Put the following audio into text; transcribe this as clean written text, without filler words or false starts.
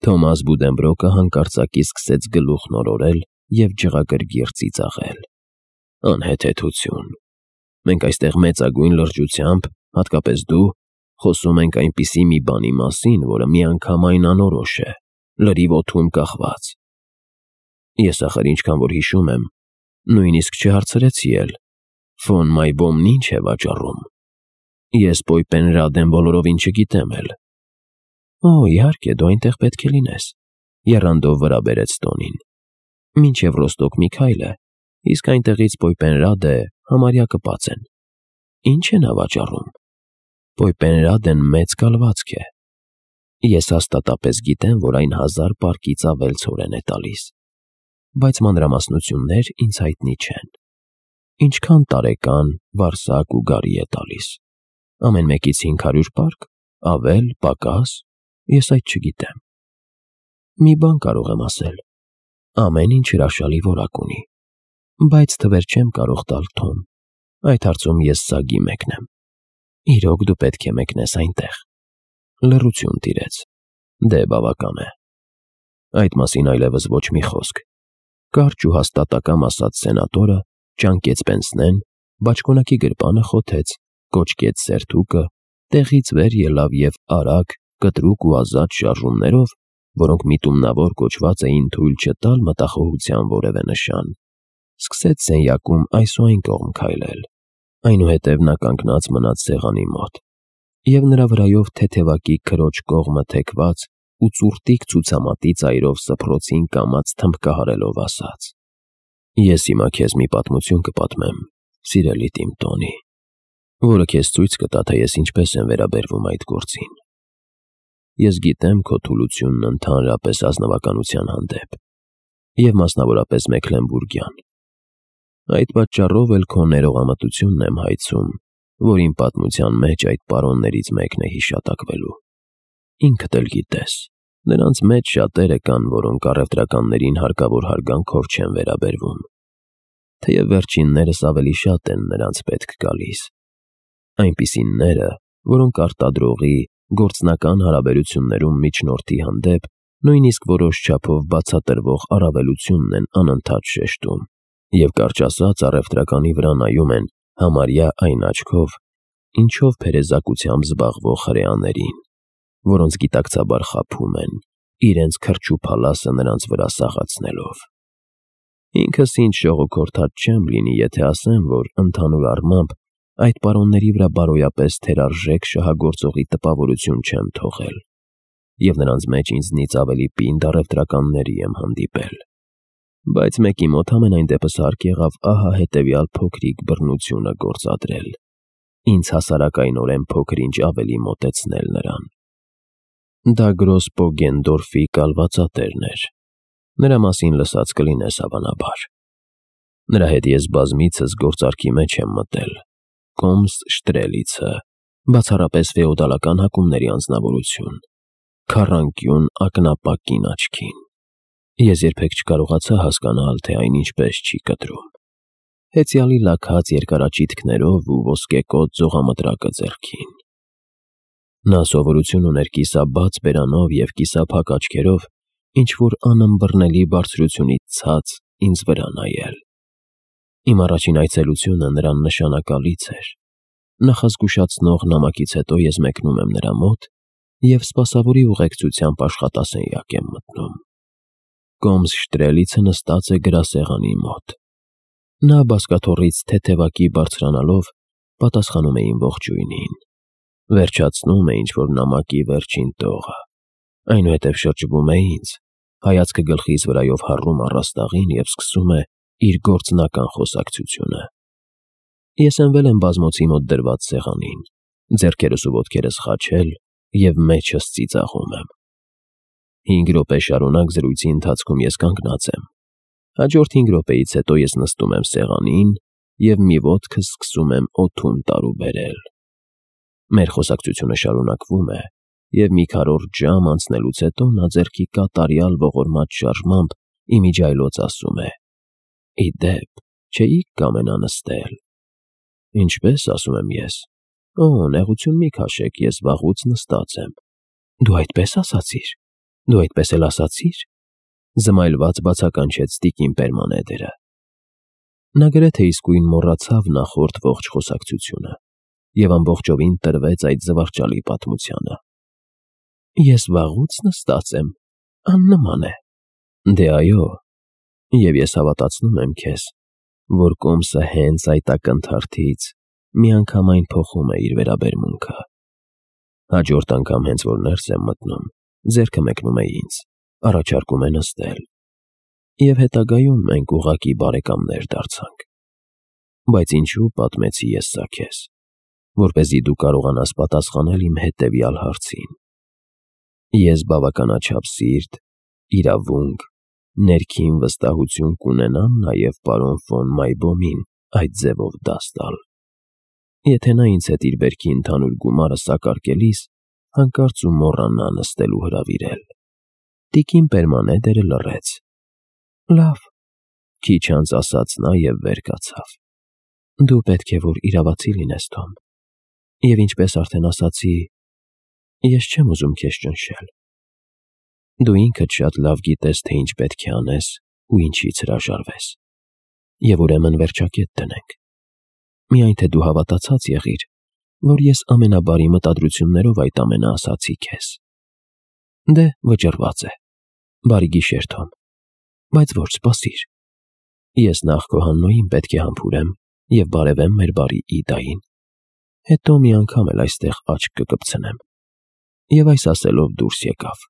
Թոմաս Բուդենբրոկը հանկարծակի սկսեց գլուխն օրորել և ջղագրգիռ ծիծաղել։ Անհեթեթություն։ Մենք այստեղ մեծագույն լրջությամբ, հատկապես դու, խոսում ենք այնպիսի մի բանի մասին, որը միանգամայն անորոշ է, լրիվ օդում կախված։ Ես ախր ինչքան որ հիշում եմ, նույնիսկ չհարցրեցի էլ, ֆոն Մայբոմն ինչ է վաճառում։ Ես Պոյպենրադեն բոլորովին չգիտեմ էլ։ Օ, իհարկե, դու այնտեղ պետք է լինես, եռանդով վրա բերեց տոնին։ Մինչև Ռոստոկ մի քայլ է, իսկ այնտեղից Պոյպենրադե համարյա կպած են։ Ինչ է նա վաճառում։ Պոյպենրադեն մեծ կալվածք է։ Ես հաստատապես գիտեմ, որ այն 1000 պարկից ավել ցորեն է տալիս, բայց մանրամասնություններ ինձ հայտնի չեն։ Ինչքան տարեկան, վարսակ ու գարի է տալիս։ Ամեն մեկից 500 պարկ, ավել, պակաս, ես այդ չգիտեմ։ Մի բան կարող եմ ասել. ամեն ինչ հրաշալի որակ ունի, բայց թվեր չեմ կարող տալ Թոմ, այդ հարցում ես սագի մեկն եմ։ Իրոք դու պետք է մեկնես այնտեղ։ Լռություն տիրեց։ Դե բավական է։ Այդ մասին այլևս ոչ մի խոսք։ Կարճ ու հաստատակամ ասաց սենատորը, ճանկեց պենսնեն, բաճկոնակի գրպանը խոթեց, կոճկեց սերթուկը, տեղից վեր ելավ և արագ, կտրուկ ու ազատ շարժումներով, որոնք միտումնավոր կոչված էին թույլ չտալ մտախոհության որևէ նշան, սկսեց սենյակում այս ու այն կողմ քայլել։ Այնուհետև նա կանգնած մնաց սեղանի մոտ, և նրա վրայով թեթևակի քրոջ կողմը թեքված ու ծուռտիկ ցուցամատի ծայրով սփռոցին կամած թմբկահարելով ասաց. Ես հիմա քեզ մի պատմություն կպատմեմ, սիրելի իմ Տոնի, որը քեզ ցույց կտա, թե ես ինչպես եմ վերաբերվում այդ գործին։ Ես գիտեմ քո թուլությունն ընդհանրապես ազնվականության հանդեպ, և մասնավորապես Մեքլենբուրգյան։ Այդ պատճառով էլ քո ներողամտությունն եմ հայցում, որ իմ պատմության մեջ այդ պարոններից մեկն է հիշատակվելու։ Ինքդ էլ գիտես, նրանց մեջ շատերը կան, որոնք առևտրականներին հարկավոր հարգանքով չեն վերաբերվում, թեև վերջիններս ավելի շատ են նրանց պետք գալիս։ Այնպիսիները, որոնք արտադրողի, գործնական հարաբերություններում միջնորդի հանդեպ նույնիսկ որոշ չափով բացատրվող առավելությունն են անընդհատ շեշտում, և կարճ ասած առևտրականի վրա նայում են համարյա այն աչքով, ինչով փերեզակությամբ զբաղվող հրեաներին, որոնց գիտակցաբար խաբում են, իրենց քրջուփալասը նրանց վրա սաղացնելով։ Ինքս ինձ շողոքորթած չեմ լինի, եթե ասեմ, որ ընդհանուր առմամբ այդ պարոնների վրա բարոյապես թերարժեք շահագործողի տպավորություն չեմ թողել, և նրանց մեջ ինձնից ավելի պինդ առևտրականների եմ հանդիպել։ Բայց մեկի մոտ համենայն դեպս հարկ եղավ ահա հետևյալ փոքրիկ բռնությունը գործադրել, ինձ հասարակայնորեն փոքր-ինչ ավելի մոտեցնել նրան։ Դա Գրոսպոգենդորֆի կալվածատերն էր։ Նրա մասին լսած կլինես հավանաբար։ Նրա հետ ես բազմիցս գործարքի մեջ եմ մտել։ Կոմս Շտրելիցը, բացառապես ֆեոդալական հակումների անձնավորություն, քառանկյուն ակնապակ կին աչքին։ Ես երբեք չկարողացա հասկանալ, թե այն ինչպես չի կտրում։ Հեծյալի լաքած երկարաճիթքներով ու ոսկեկոծ ձողամտրակը ձեռքին։ Նա սովորություն ուներ կիսաբաց բերանով և կիսափակ աչքերով ինչ-որ անըմբռնելի բարձրությունից ցած ինձ վրա նայել։ Իմ առաջին այցելությունը նրան նշանակալից էր։ Նախազգուշացնող նամակից հետո ես մեկնում եմ նրա մոտ և սպասավորի ուղեկցությամբ աշխատասենյակ եմ մտնում։ Կոմս Շտրելիցը նստած է գրասեղանի մոտ։ Նա բազկաթոռից թեթևակի բարձրանալով պատասխանում է իմ ողջույնին։ Վերջացնում է ինչ-որ նամակի վերջին տողը, այնուհետև շրջվում է ինձ, հայացքը գլխիս վրայով հառում առաստաղին և սկսում է իր գործնական խոսակցությունը։ Ես հենվել եմ բազմոցի մոտ դրված սեղանին, ձեռքերս ու ոտքերս խաչել և մեջս ծիծաղում եմ։ 5 րոպե շարունակ զրույցի ընթացքում ես կանգնած եմ։ Հաջորդ 5 րոպեից հետո ես նստում եմ սեղանին և մի ոտքս սկսում եմ օդում տարուբերել։ Մեր խոսակցությունը շարունակվում է, և մի քառորդ ժամ անցնելուց հետո նա ձեռքի կատարյալ ողորմած շարժմամբ ի միջիայլոց ասում է. «Ի դեպ, չէի՞ք կամենա նստել»։ «Ինչպե՞ս», ասում եմ ես։ «Օ, նեղություն մի քաշեք, ես վաղուց նստած եմ»։ «Դու այդպես ասացիր»։ Դու այդպես էլ ասացիր, զմայլված բացականչեց տիկին Պերմանեդերը։ Նա գրեթե իսկույն մոռացավ նախորդ ողջ խոսակցությունը և ամբողջովին տրվեց այդ զվարճալի պատմությանը։ Ես վաղուց նստած եմ, աննման է։ Դե այո, և ես հավատացնում եմ քեզ, որ կոմսը հենց այդ ակնթարթից միանգամայն փոխում է իր վերաբերմունքը։ Հաջորդ անգամ հենց որ ներս եմ մտնում, ձեռքը մեկնում է ինձ, առաջարկում է նստել, և հետագայում մենք ուղղակի բարեկամներ դարձանք։ Բայց ինչու պատմեցի ես սա քեզ, որպեսզի դու կարողանաս պատասխանել իմ հետևյալ հարցին։ Ես բավականաչափ սիրտ, իրավունք, ներքին վստահություն կունենամ նաև պարոն ֆոն Մայբոմին այդ ձևով դաս տալ, եթե նա ինձ հետ իր բերքի ընդհանուր գումարը սակարկելիս հանկարծ ու մոռանա նստելու հրավիրել։ Տիկին Պերմանեդերը լռեց։ Լավ, քիչ անց ասաց նա և վեր կացավ։ Դու պետք է որ իրավացի լինես, Թոմ, և ինչպես արդեն ասացի, ես չեմ ուզում քեզ ճնշել։ Դու ինքդ շատ լավ գիտես, թե ինչ պետք է անես ու ինչից հրաժարվես, և ուրեմն վերջակետ դնենք։ Միայն թե դու հավատացած եղիր, որ ես ամենաբարի մտադրություններով այդ ամենը ասացի քեզ։ Դե, վճռված է։ Բարի գիշեր, Թոմ, բայց ոչ սպասիր։ Ես նախ քո Հաննոյին պետք է համբուրեմ և բարևեմ մեր բարի Իդային, հետո մի անգամ էլ այստեղ աչք կկպցնեմ։ Եվ այս ասելով դուրս եկավ։